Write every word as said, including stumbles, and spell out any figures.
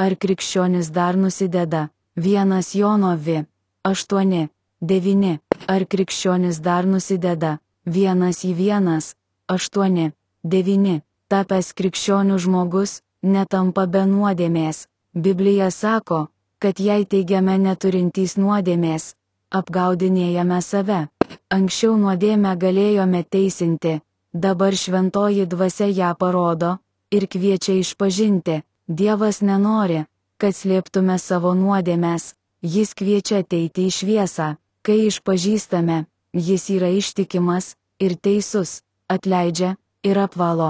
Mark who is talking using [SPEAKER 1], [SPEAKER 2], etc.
[SPEAKER 1] ar krikščionis dar nusideda, vienas Jono vi, aštuoni, devyni, ar krikščionis dar nusideda, vienas į vienas, aštuoni, devyni, tapęs krikščionių žmogus, netampa be nuodėmės. Biblija sako, kad jei teigiame neturintys nuodėmės, apgaudinėjame save. Anksčiau nuodėmę galėjome teisinti, dabar šventoji dvasia ją parodo ir kviečia išpažinti. Dievas nenori, kad slėptume savo nuodėmes, jis kviečia ateiti į šviesą. Kai išpažįstame, jis yra ištikimas ir teisus, atleidžia ir apvalo.